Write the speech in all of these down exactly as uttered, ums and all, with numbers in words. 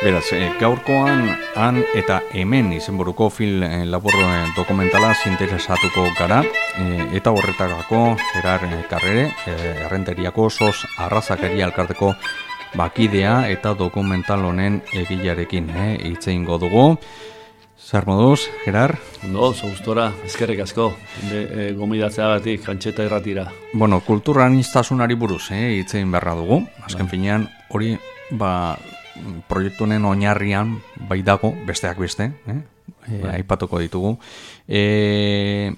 Beraz, e, gaurkoan han eta hemen izenburuko film e, labur e, dokumentala interesatuko gara, e, eta horretarako Gerar e, Carrere, e, Errenteriako sos arrazakeria elkarteko bakidea eta dokumental honen egilarekin e, hitz egingo dugu. Zer moduz, Gerar? No, oso gustora, eskerrik asko, e, gomidatzeagatik, Antxeta irratira. Bueno, kulturaniztasunari buruz, eh, hitz egin beharra dugu. Azken finean, hori, ba, proiektu honen oinarrian bai dago, besteak beste, eh? E, aipatuko ditugu. E,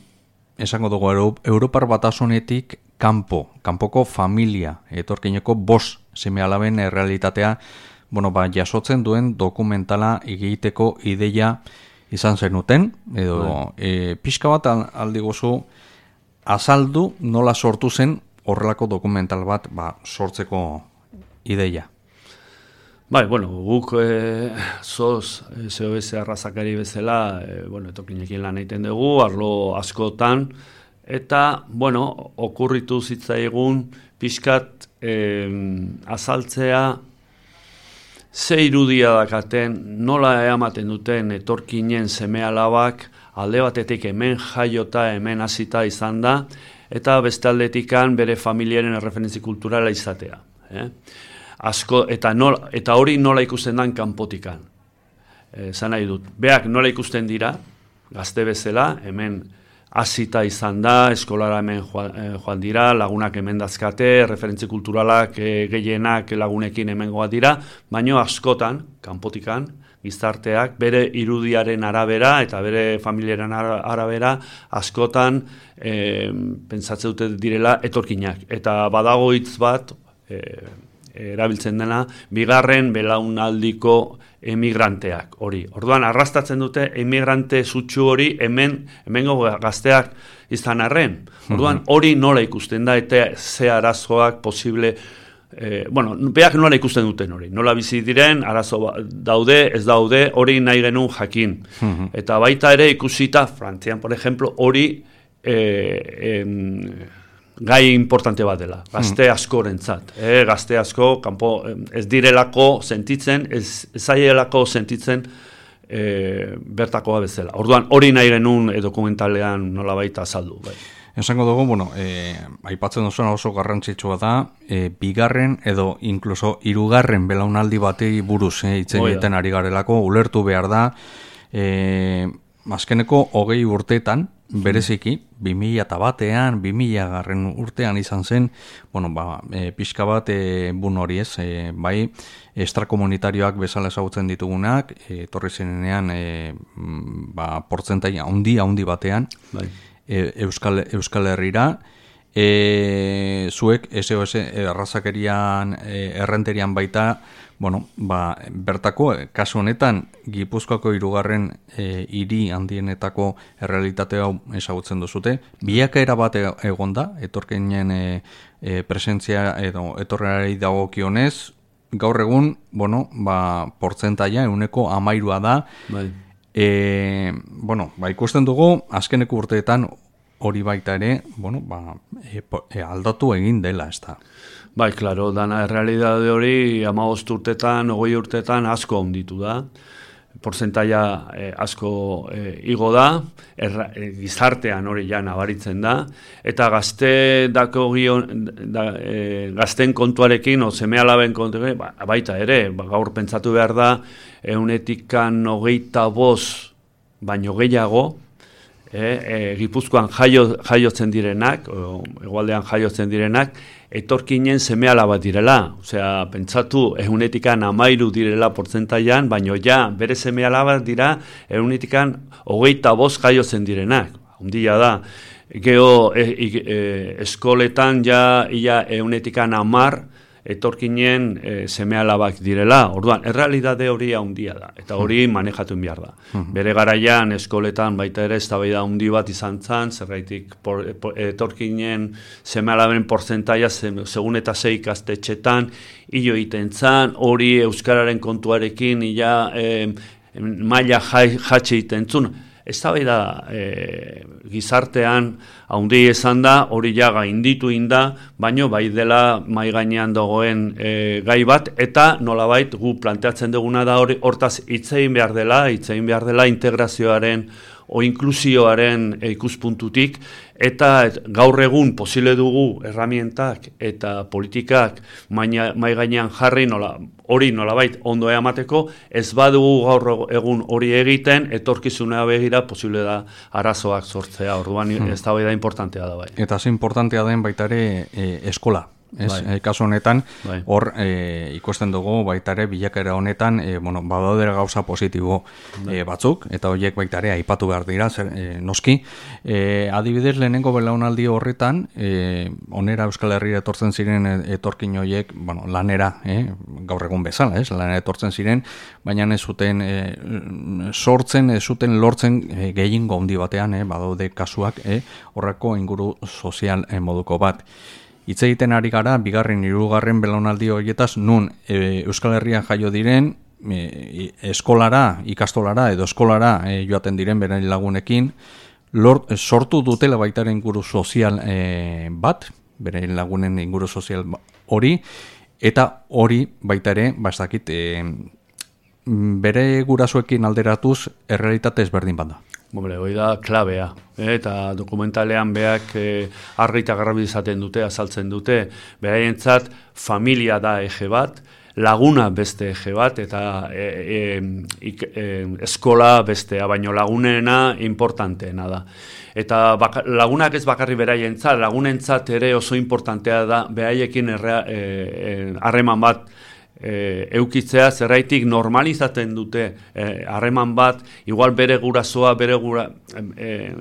esango dugu, Europar Batasunetik kanpo, kanpoko familia, etorkineko bost seme-alaben errealitatea, bueno, ba, jasotzen duen dokumentala egiteko ideia izan zenuten, edo e, pixka bat aldi gozu azaldu nola sortu zen horrelako dokumental bat ba, sortzeko ideia. Bai, bueno, guk e, soz, S O S arrazakari bezala, e, bueno, etokinekin lan egiten dugu, arlo askotan, eta, bueno, okurritu zitzaigun pixkat e, azaltzea ze irudia dakaten, nola ematen duten etorkinen seme-alabak alde batetik hemen jaiota, hemen hasita izan da, eta beste aldetikan bere familiaren erreferentzi kulturala izatea. Eh? Asko, eta, nola, eta hori nola ikusten dan kanpotikan. Eh, zan nahi dut, beak nola ikusten dira, gazte bezala, hemen hasita izan da, eskolara hemen joan, eh, joan dira, lagunak hemen dazkate, referentzi kulturalak eh, gehienak lagunekin hemen goa dira, baino askotan, kanpotikan, gizarteak, bere irudiaren arabera eta bere familiaren arabera, askotan eh, pentsatze dute direla etorkinak. Eta badago hitz bat, eh, erabiltzen dena, bigarren belaunaldiko emigranteak hori. Orduan, arrastatzen dute emigrante zutsu hori hemen, hemengo gazteak izan arren. Orduan, hori nola ikusten da, eta ze arazoak posible, eh, bueno, beak nola ikusten duten hori. Nola bizi diren, arazo daude, ez daude, hori nahi genuen jakin. Eta baita ere ikusita, Frantzian, por ejemplo, hori eh, em, gai importante bat dela, gazte askorentzat. Eh, gazte asko, kanpo, ez direlako sentitzen, ez zaielako sentitzen eh, bertakoa bezala. Orduan, hori nahi genuen e, dokumentalean nola baita azaldu. Bai. Esango dugu, bueno, eh, aipatzen duzuna oso garrantzitsua da, eh, bigarren edo inkluso hirugarren belaunaldi batei buruz eh, hitz egiten ari garelako, ulertu behar da, eh, azkeneko hogei urteetan, bereziki, bi mila batean, bi mila garren urtean izan zen, bueno, ba, e, pixka bat e, bun hori ez, e, bai, extrakomunitarioak bezala ezagutzen ditugunak, e, torri zenean, e, ba, portzentaia handi, handi batean, bai. e, Euskal, Euskal Herrira, e, zuek, S O S arrazakerian, e, errenterian baita, bueno, ba, bertako, kasu honetan, Gipuzkoako hirugarren e, hiri handienetako errealitate hau ezagutzen duzute. Bilakaera bat egon da, etorkinen e, e, presentzia edo etorrerari dagokionez, gaur egun, bueno, ba, portzentaia, euneko amairua da. Bai. E, bueno, ba, ikusten dugu, azkeneko urteetan hori baita ere, bueno, ba, e, e, aldatu egin dela, ez da. Bai, klaro, dana errealidade hori hamabost urtetan, hogei urtetan asko onditu da. Portzentaia eh, asko eh, igo da, erra, eh, gizartean hori ja nabaritzen da, eta gazte dako gion, da, eh, gazten kontuarekin, o seme-alaben kontuarekin, ba, baita ere, ba, gaur pentsatu behar da, eunetikan hogeita bost baino gehiago, eh, eh, Gipuzkoan jaio, jaiotzen direnak, o, egualdean jaiotzen direnak, etorkinen seme-alaba direla. Osea, pentsatu, ehunetikan amairu direla portzentaian, baino ja, bere seme-alaba dira, ehunetikan hogeita bost jaiotzen direnak. Hundia da. Geo, e, e, eskoletan ja, ia ehunetikan amar, etorkinen e, seme-alabak direla. Orduan, errealidade hori handia da, eta hori manejatu behar da. Bere garaian eskoletan baita ere eztabaida handi bat izan zan, zergaitik por, por, etorkinen seme-alaben portzentaia segun eta sei ikastetxetan hilo egiten zan, hori euskararen kontuarekin ia e, maila jatxe egiten zun. eztabaida e, gizartean handi izan da, hori ja gainditu inda, baino bai dela mai gainean dagoen e, gai bat, eta nolabait gu planteatzen duguna da hori hortaz hitz egin behar dela, hitz egin behar dela integrazioaren o inklusioaren ikuspuntutik, eta gaur egun posible dugu erramientak eta politikak mai gainean jarri nola, hori nolabait ondo emateko, ez badugu gaur egun hori egiten, etorkizunea begira posible da arazoak sortzea, orduan hmm. ez da bai da importantea da bai. Eta ze importantea den baita ere e, eskola. Ez, bai. Kasu honetan, bai. Hor e, ikusten dugu baita ere bilakaera honetan e, bueno, badaudera gauza positibo bai. e, batzuk, eta horiek baita ere aipatu behar dira, zer, e, noski. E, adibidez lehenengo belaunaldi horretan, e, onera Euskal Herria etortzen ziren etorkin horiek, bueno, lanera, e, gaur egun bezala, ez, lanera etortzen ziren, baina ez zuten e, sortzen, ez zuten lortzen e, gehiengo handi batean, e, badaude kasuak, e, horreko inguru sozial e, moduko bat. Hitz egiten ari gara, bigarren, hirugarren belaunaldi horietaz, nun e, Euskal Herrian jaio diren, e, eskolara, ikastolara edo eskolara e, joaten diren beren lagunekin, lort, sortu dutela baitaren inguru sozial e, bat, beren lagunen inguru sozial hori, eta hori baita ere, ba ez dakit, e, bere gurasoekin alderatuz, errealitate ezberdin bat da. Hombre, hori da klabea, eta dokumentalean beak eh, argi eta garbi izaten dute, azaltzen dute, beraientzat familia da eje bat, laguna beste eje bat, eta e, e, ik, e, eskola bestea, baino lagunena importanteena da. Eta baka, lagunak ez bakarri beraientzat, lagunentzat ere oso importantea da, beraiekin harreman e, e, bat, E, eukitzea zerraitik normalizaten dute harreman e, bat, igual bere gurasoa, bere gura, e,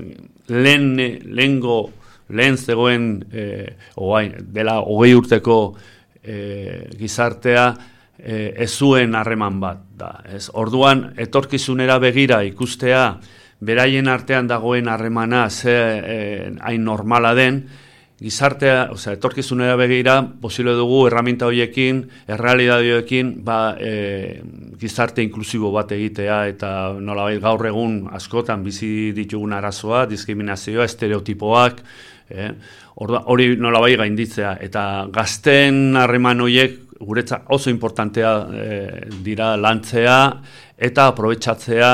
lehen, lehengo, lehen zegoen e, oain, dela hogei urteko e, gizartea e, ez zuen harreman bat da. Ez? Orduan, etorkizunera begira ikustea, beraien artean dagoen harremana ze e, hain normala den, gizartea, osea, etorkizunera begira, posible dugu erraminta horiekin, errealidade horiekin, ba, e, gizarte inklusibo bat egitea, eta nolabait gaur egun askotan bizi ditugun arazoa, diskriminazioa, estereotipoak, eh? hori nolabait gainditzea, eta gazten harreman horiek guretzat oso importantea e, dira lantzea, eta aprobetxatzea,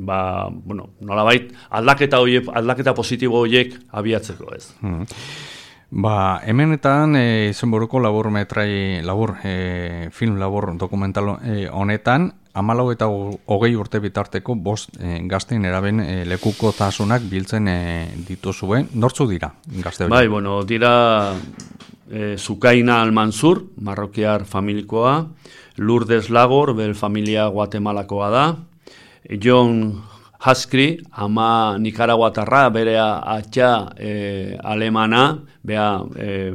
ba, bueno, nolabait aldaketa horiek, aldaketa positibo horiek abiatzeko ez. Hmm. Ba, hemenetan e, izenburuko labur metrai, labur, e, film labur dokumental e, honetan, hamalau eta hogei urte bitarteko bost e, gaztein eraben e, lekuko tasunak biltzen e, dituzue. Nortzu dira gazte hori? Bai, bueno, dira e, Zukaina Almansur, marrokiar familikoa, Lourdes Lagor, bel familia guatemalakoa da, John Haskri, ama Nikaraguatarra, bere atxa e, alemana, bea e,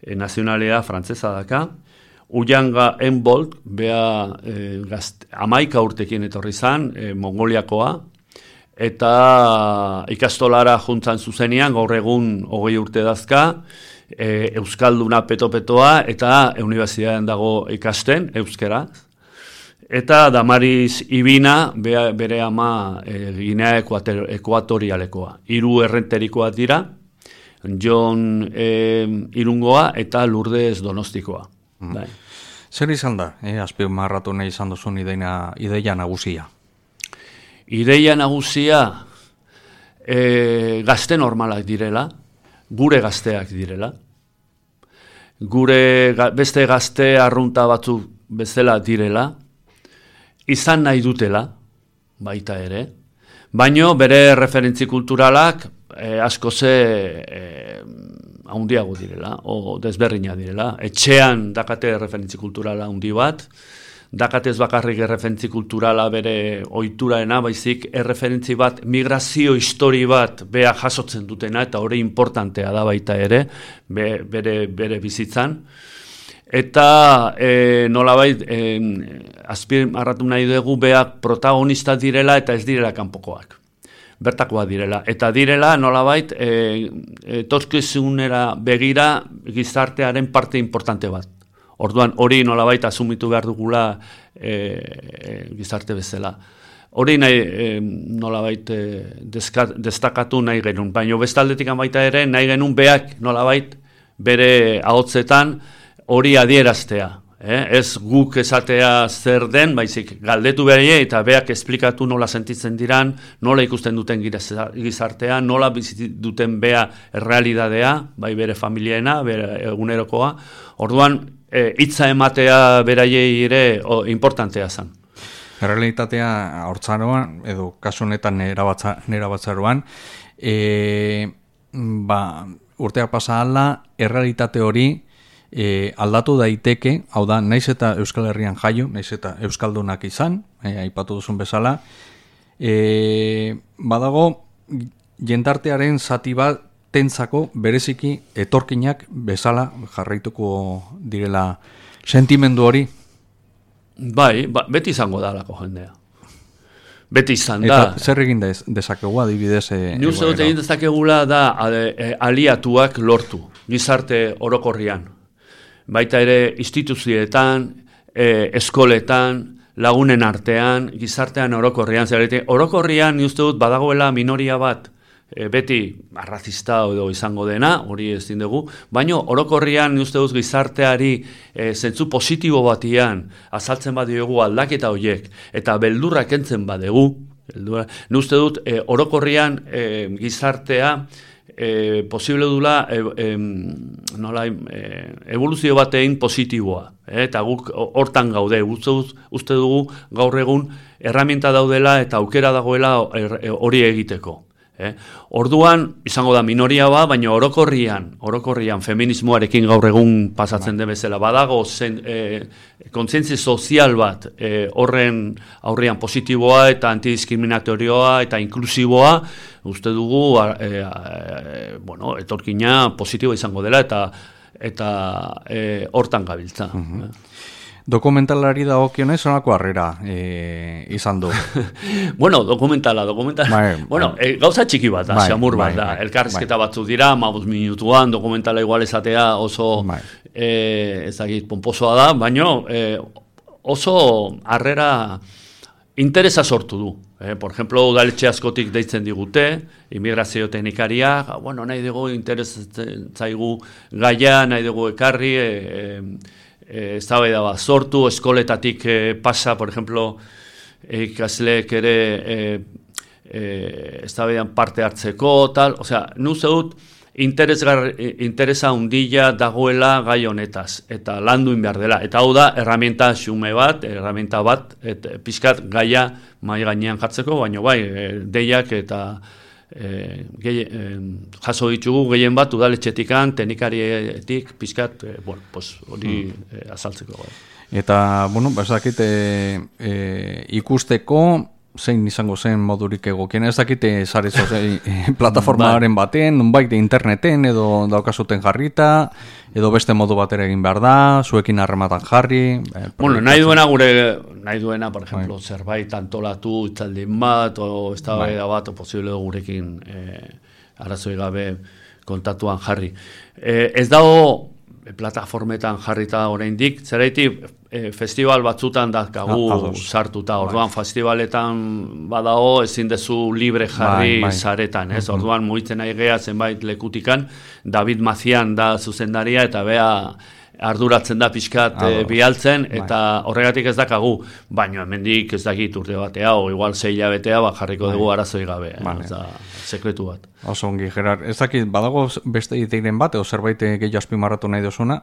e, nazionalea frantzesa daka, Uyanga Enbolt, bea e, gazt, amaika urtekin etorri zan, e, Mongoliakoa, eta ikastolara juntzan zuzenean, gaur egun hogei urte dazka, e, Euskalduna peto-petoa, eta unibertsitatean dago ikasten, euskera. Eta Damaris Ibina, bere ama e, Ginea Ekuatorialekoa. Hiru errenterikoa dira, John e, Irungoa eta Lourdes Donostikoa. Mm. Bai. Zer izan da, eh, azpimarratu nahi izan duzun ideia, ideia nagusia? Ideia nagusia e, gazte normalak direla, gure gazteak direla. Gure ga, beste gazte arrunta batzuk bezala direla, izan nahi dutela, baita ere, baino bere referentzi kulturalak eh, asko ze eh, handiago direla, o desberdina direla. Etxean dakate referentzi kulturala handi bat, dakatez bakarrik erreferentzi kulturala bere ohituraena, baizik erreferentzi bat, migrazio histori bat bea jasotzen dutena, eta hori importantea da baita ere, be, bere, bere bizitzan. Eta e, nolabait e, azpimarratu nahi dugu beak protagonista direla eta ez direla kanpokoak. Bertakoak direla. Eta direla nolabait e, etorkizunera begira gizartearen parte importante bat. Orduan hori nolabait asumitu behar dugula e, e, gizarte bezala. hori nahi e, nolabait e, destakatu nahi genuen, baina bestaldetik baita ere nahi genuen beak nolabait bere ahotzetan hori adieraztea. Eh? Ez guk esatea zer den, baizik galdetu behar eta beak esplikatu nola sentitzen diran, nola ikusten duten gizartea, nola bizi duten bea errealidadea, bai bere familiena, bere egunerokoa. Orduan, hitza e, ematea beraiei ere o, importantea zen. Errealitatea hortzaroan, edo kasu honetan nera batzaroan, e, ba, urteak pasa ala, errealitate hori, E, aldatu daiteke, hau da, naiz eta Euskal Herrian jaio, naiz eta Euskaldunak izan, e, aipatu duzun bezala, e, badago jendartearen zati bat tentzako bereziki etorkinak bezala jarraituko direla sentimendu hori? Bai, ba, beti izango da lako jendea. Beti izan da. Eta zer egin dezakegu adibidez? E, Ni uste dut egin dezakegula da aliatuak lortu, gizarte orokorrian. Baita ere instituzioetan, e, eskoletan, lagunen artean, gizartean orokorrian. Zerete, orokorrian ni uste dut badagoela minoria bat, e, beti arrazista edo izango dena, hori ez dugu, baina orokorrian ni uste dut gizarteari e, zentzu positibo batian azaltzen badiogu aldaketa horiek, eta beldurrak entzen badegu, beldurra, ni uste dut e, orokorrian e, gizartea, E, posible dula e, e, nola, e, evoluzio batein positiboa, e, eta guk hortan gaude, uste, uste dugu gaur egun erramienta daudela eta aukera dagoela hori egiteko. Eh? Orduan, izango da minoria ba, baina orokorrian, orokorrian feminismoarekin gaur egun pasatzen den bezala, badago zen, e, kontzientzia sozial bat e, horren aurrean positiboa eta antidiskriminatorioa eta inklusiboa, uste dugu e, e, bueno, etorkina positiboa izango dela eta eta e, hortan gabiltza. Uh-huh. eh? Dokumentalari dagokionez sonako harrera e, izan du. Bueno, dokumentala, dokumentala. Bai, bueno, bai. E, gauza txiki bat da, bai, xamur bat bai, da. Bai, elkarrizketa bai. Batzu dira, mabuz minutuan, dokumentala igual esatea oso bai. e, ezagit, pomposoa da, baina e, oso harrera interesa sortu du. Eh, por ejemplo, udaletxe askotik deitzen digute, immigrazio teknikaria, bueno, nahi dugu interesatzen zaigu gaia, nahi dugu ekarri, e, e, Eh, eztabaida bat sortu, eskoletatik eh, pasa, por ejemplo, ikasleek ere eh, eh, eztabaidan parte hartzeko, tal, o sea, nuze dut interesa hundila dagoela gai honetaz, eta landuin behar dela, eta hau da, erramienta xume bat, erramienta bat, et, pixkat gaia mai gainean jartzeko, baina bai, eh, deiak eta E, gehi, e, jaso ditugu gehien bat udaletxetikan, teknikarietik pizkat, e, bueno, pues hori hmm. e, azaltzeko. Bai. Eta, bueno, bazakit e, e, ikusteko zein izango zen modurik egokien, ez dakite zarezo zein plataformaren baten, nonbait interneten edo daukazuten jarrita, edo beste modu batera egin behar da, zuekin harrematan jarri. Eh, bueno, nahi duena gure, nahi duena, por ejemplo, bai. Zerbait antolatu, itzaldin bat, o eztabaida bat, o posible gurekin eh, arazoi gabe kontatuan jarri. Eh, ez dago plataformetan jarrita oraindik, zeraitik e, festival batzutan dakagu ah, sartuta, orduan bai. Festivaletan badago ezin dezu libre jarri bai, bai. Zaretan, ez? Uh-huh. Orduan mugitzen nahi gea zenbait lekutikan, David Mazian da zuzendaria eta bea arduratzen da pixkat ah, e, bialtzen, eta bai. Horregatik ez dakagu, baina hemendik ez dakit urte batea, o igual sei hilabetea, ba, jarriko bai. Dugu arazoi gabe, bai. Ez da sekretu bat. Oso ongi, Gerard, ez dakit, badago beste iteiren bat, edo zerbait gehiago azpimarratu nahi dozuna?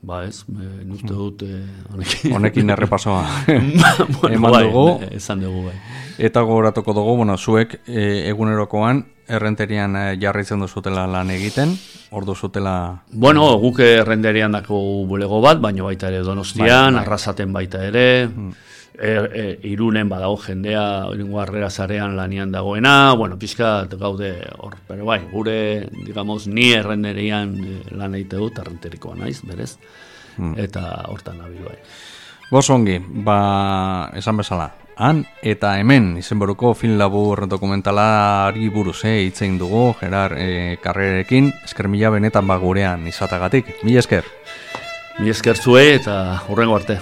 Ba ez, e, uste dut e, honekin. Honekin errepasoa bueno, eman bai, dugu. Esan dugu, bai. Eta gogoratuko dugu, bueno, zuek e, egunerokoan errenterian e, jarraitzen duzutela lan egiten, ordu zutela... Bueno, guk errenterian dako bulego bat, baina baita ere Donostian, bai, bai. Arrasaten baita ere, hmm. e, e, Irunen badago jendea, irengo harrera zarean lanian dagoena, bueno, pixkat gaude hor, pero bai, gure, digamos, ni errenterian lan egite dut, errenterikoa naiz, berez, hmm. eta hortan nabil bai. Gozongi, ba, esan bezala, han eta hemen izenburuko film labur dokumentalari buruz eh, itzein dugu, Gerard eh, karrerekin, esker mila benetan ba gurean izatagatik. Mila esker. Mila esker zuei eta hurrengo arte.